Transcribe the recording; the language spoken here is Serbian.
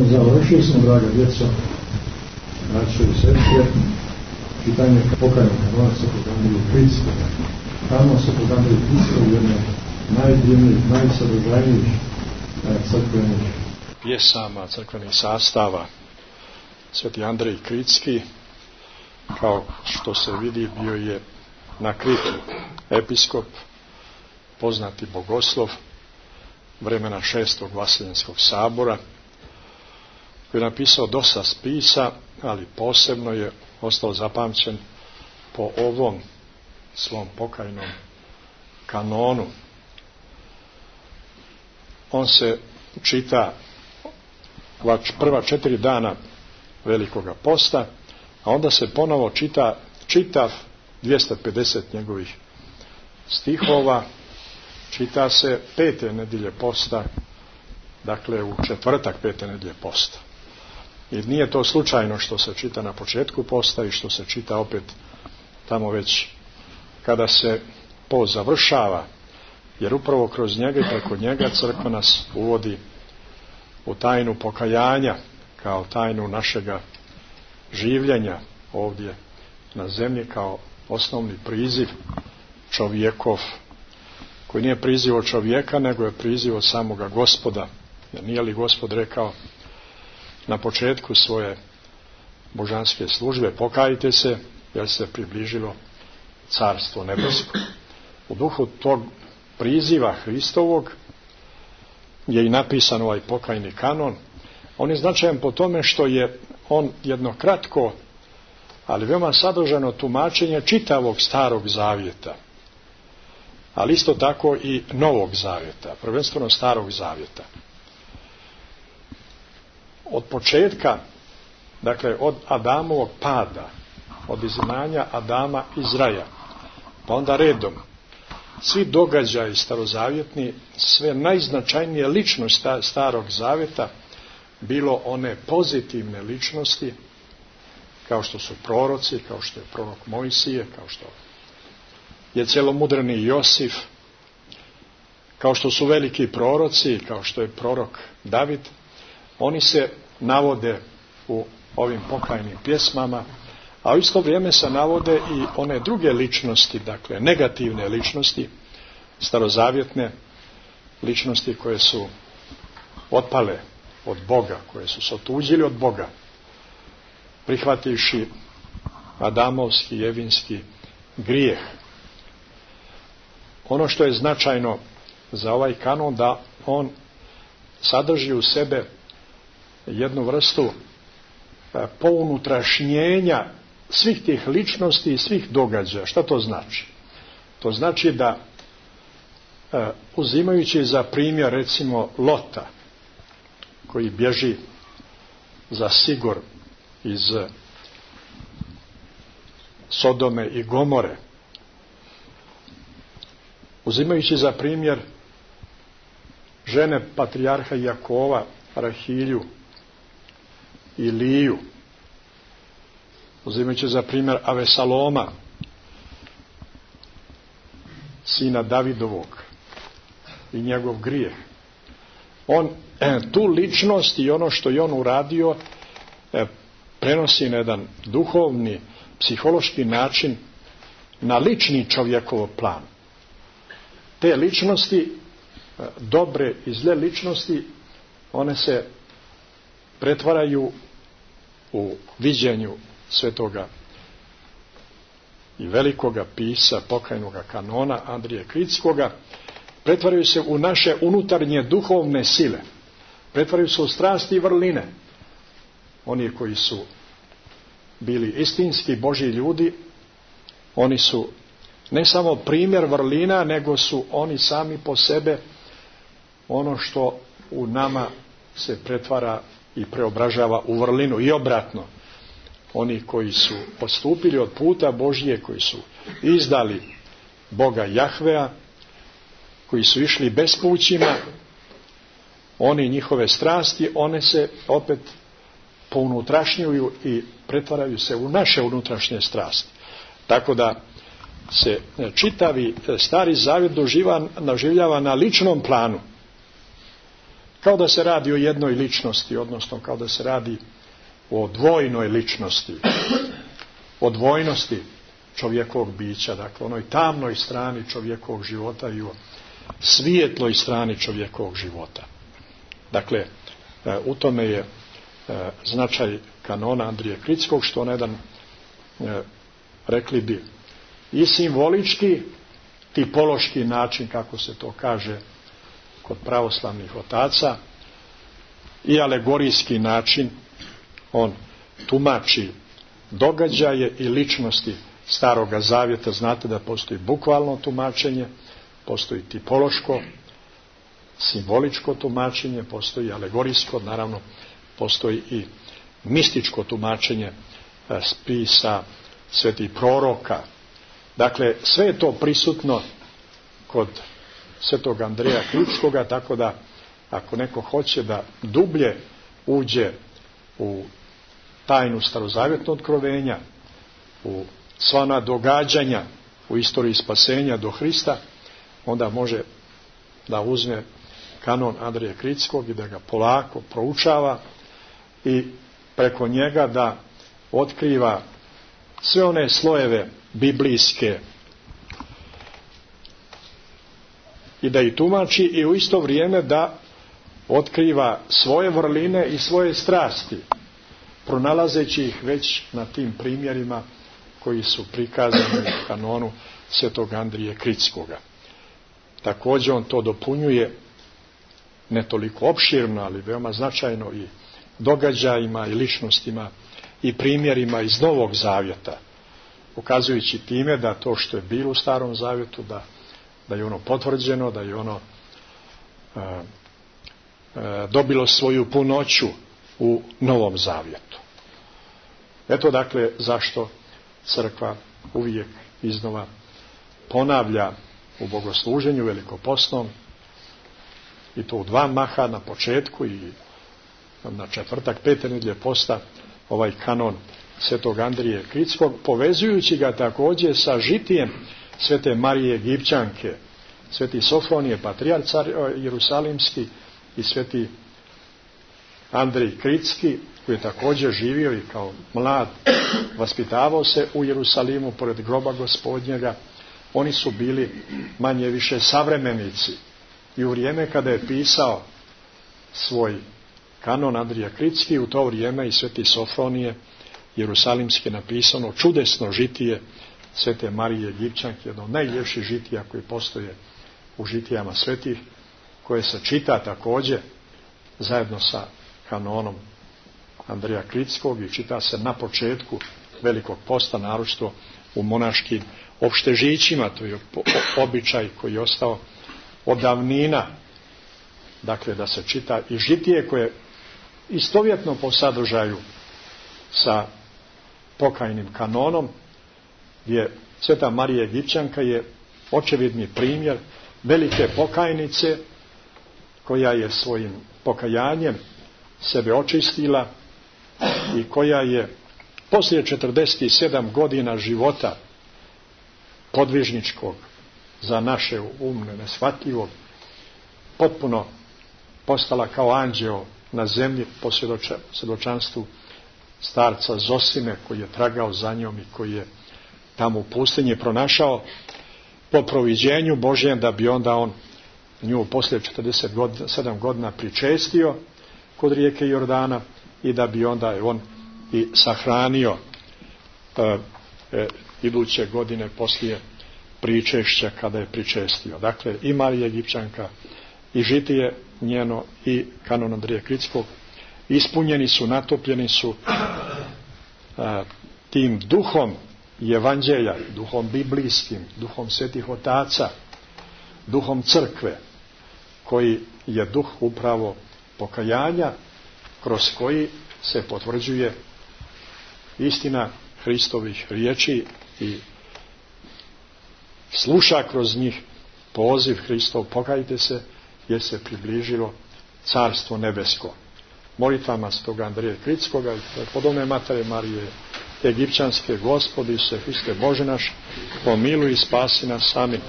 Završili smo, draga djeco, braćo i sestre, čitanje pokajnog kanona Svetog Andrije Kritskog. Kanon Svetog Andrije Kritskog je jedna najdivnijih, najsadržajnijih crkvenih pjesama, crkvenih sastava. Sveti Andrej Kritski, kao što se vidi, bio je na Kritu episkop, poznati bogoslov vremena 6. Vaseljenskog sabora, koji je napisao dosta spisa, ali posebno je ostao zapamćen po ovom svom pokajnom kanonu. On se čita prva 4 dana Velikoga posta, a onda se ponovo čita čitav 250 njegovih stihova, čita se 5. nedjelje posta, dakle u četvrtak 5. nedjelje posta. I nije to slučajno što se čita na početku posta i što se čita opet tamo već kada se post završava, jer upravo kroz njega i preko njega crkva nas uvodi u tajnu pokajanja, kao tajnu našega življenja ovdje na zemlji, kao osnovni priziv čovjekov, koji nije priziv od čovjeka, nego je priziv od samoga Gospoda. Jer nije li Gospod rekao na početku svoje božanske službe: pokajte se, jer se približilo carstvo nebesko. U duhu tog priziva Hristovog je i napisan ovaj pokajni kanon. On je značajan po tome što je on jedno kratko, ali veoma sadržano tumačenje čitavog Starog zavjeta, ali isto tako i Novog zavjeta, prvenstveno Starog zavjeta. Od početka, dakle od Adamovog pada, od izgnanja Adama iz raja, pa onda redom svi događaji starozavjetni, sve najznačajnije ličnosti Starog zavjeta, bilo one pozitivne ličnosti, kao što su proroci, kao što je prorok Mojsije, kao što je cjelomudreni Josif, kao što su veliki proroci, kao što je prorok David, oni se navode u ovim pokajnim pjesmama, a u isto vrijeme se navode i one druge ličnosti, dakle negativne ličnosti, starozavjetne ličnosti koje su otpale od Boga, koje su se otuđili od Boga, prihvativši adamovski i evinski grijeh. Ono što je značajno za ovaj kanon, da on sadrži u sebe jednu vrstu pounutrašnjenja svih tih ličnosti i svih događaja. Šta to znači? To znači da, uzimajući za primjer recimo Lota, koji bježi za Sigor iz Sodome i Gomore, uzimajući za primjer žene patrijarha Jakova, Rahilju i Liju, uzimajući za primjer Avesaloma, sina Davidovog, i njegov grijeh, on tu ličnost i ono što je on uradio prenosi na jedan duhovni, psihološki način na lični čovjekov plan. Te ličnosti, dobre i zle ličnosti, one se pretvaraju u viđenju svetoga i velikoga pisa pokajnoga kanona Andrije Kritskoga, pretvaraju se u naše unutarnje duhovne sile, pretvaraju se u strasti i vrline. Oni koji su bili istinski Božji ljudi, oni su ne samo primjer vrlina, nego su oni sami po sebe ono što u nama se pretvara i preobražava u vrlinu, i obratno. Oni koji su odstupili od puta Božje, koji su izdali Boga Jahvea, koji su išli bespućima, oni, njihove strasti, one se opet pounutrašnjuju i pretvaraju se u naše unutrašnje strasti. Tako da se čitavi Stari Zavjet doživljava na ličnom planu, kao da se radi o jednoj ličnosti, odnosno kao da se radi o dvojnoj ličnosti, o dvojnosti čovjekovog bića, dakle onoj tamnoj strani čovjekovog života i o svijetloj strani čovjekovog života. Dakle, u tome je značaj kanona Andrije Kritskog, što na jedan, rekli bi, i simbolički, tipološki način, kako se to kaže kod pravoslavnih otaca, i alegorijski način. On tumači događaje i ličnosti Staroga Zavjeta. Znate da postoji bukvalno tumačenje, postoji tipološko, simboličko tumačenje, postoji alegorijsko, naravno postoji i mističko tumačenje spisa svetih proroka. Dakle, sve je to prisutno kod svetog Andreja Kritskoga, tako da ako neko hoće da dublje uđe u tajnu starozavjetnog otkrovenja, u sva ona događanja u istoriji spasenja do Hrista, onda može da uzme kanon Andrije Kritskog i da ga polako proučava i preko njega da otkriva sve one slojeve biblijske i da ih tumači, i u isto vrijeme da otkriva svoje vrline i svoje strasti, pronalazeći ih već na tim primjerima koji su prikazani u kanonu svetog Andrije Kritskoga. Također on to dopunjuje ne toliko opširno, ali veoma značajno i događajima i ličnostima i primjerima iz Novog Zavjeta, ukazujući time da to što je bilo u Starom Zavjetu, da je ono potvrđeno, da je ono dobilo svoju punoću u Novom Zavjetu. Eto dakle zašto crkva uvijek iznova ponavlja u bogosluženju velikoposnom, i to u dva maha, na početku i na četvrtak pete nedjelje posta, ovaj kanon svetog Andrije Kritskog, povezujući ga također sa žitijem svete Marije Egipćanke, sveti Sofronije patrijarh Jerusalimski i sveti Andrij Kritski, koji je također živio i kao mlad vaspitavao se u Jerusalimu pored groba Gospodnjega. Oni su bili manje više savremenici i u vrijeme kada je pisao svoj kanon Andrija Kritski, u to vrijeme i sveti Sofronije Jerusalimski napisano čudesno žitije svete Marije Egipćanke, jedno od najljepših žitija koji postoje u žitijama svetih, koje se čita također zajedno sa kanonom Andrija Kritskog i čita se na početku Velikog posta, naročito u monaškim opštežićima. To je običaj koji je ostao od davnina, dakle da se čita i žitije koje je istovjetno po sadržaju sa pokajnim kanonom, gdje sveta Marija Egipćanka je očevidni primjer velike pokajnice koja je svojim pokajanjem sebe očistila i koja je poslije 47 godina života podvižničkog, za naše umne neshvatljivog, potpuno postala kao anđeo na zemlji po svjedočanstvu starca Zosime, koji je tragao za njom i koji je tamo u pustinji pronašao po proviđenju Božjem, da bi onda on nju poslije 47 godina pričestio kod rijeke Jordana i da bi onda je on i sahranio iduće godine poslije pričešća kada je pričestio. Dakle, i Marija Egipćanka i žitije njeno i kanon Andrije Kritskog ispunjeni su, natopljeni su tim duhom evanđelja, duhom biblijskim, duhom svetih otaca, duhom crkve, koji je duh upravo pokajanja, kroz koji se potvrđuje istina Hristovih riječi i sluša kroz njih poziv Hristov: pokajte se jer se približilo Carstvo nebesko. Molitvama stoga Andrije Kritskoga i podobne Matere Marije Egipćanske: Gospodi se Hriste Bože naš, pomiluj i spasi nas. Amin.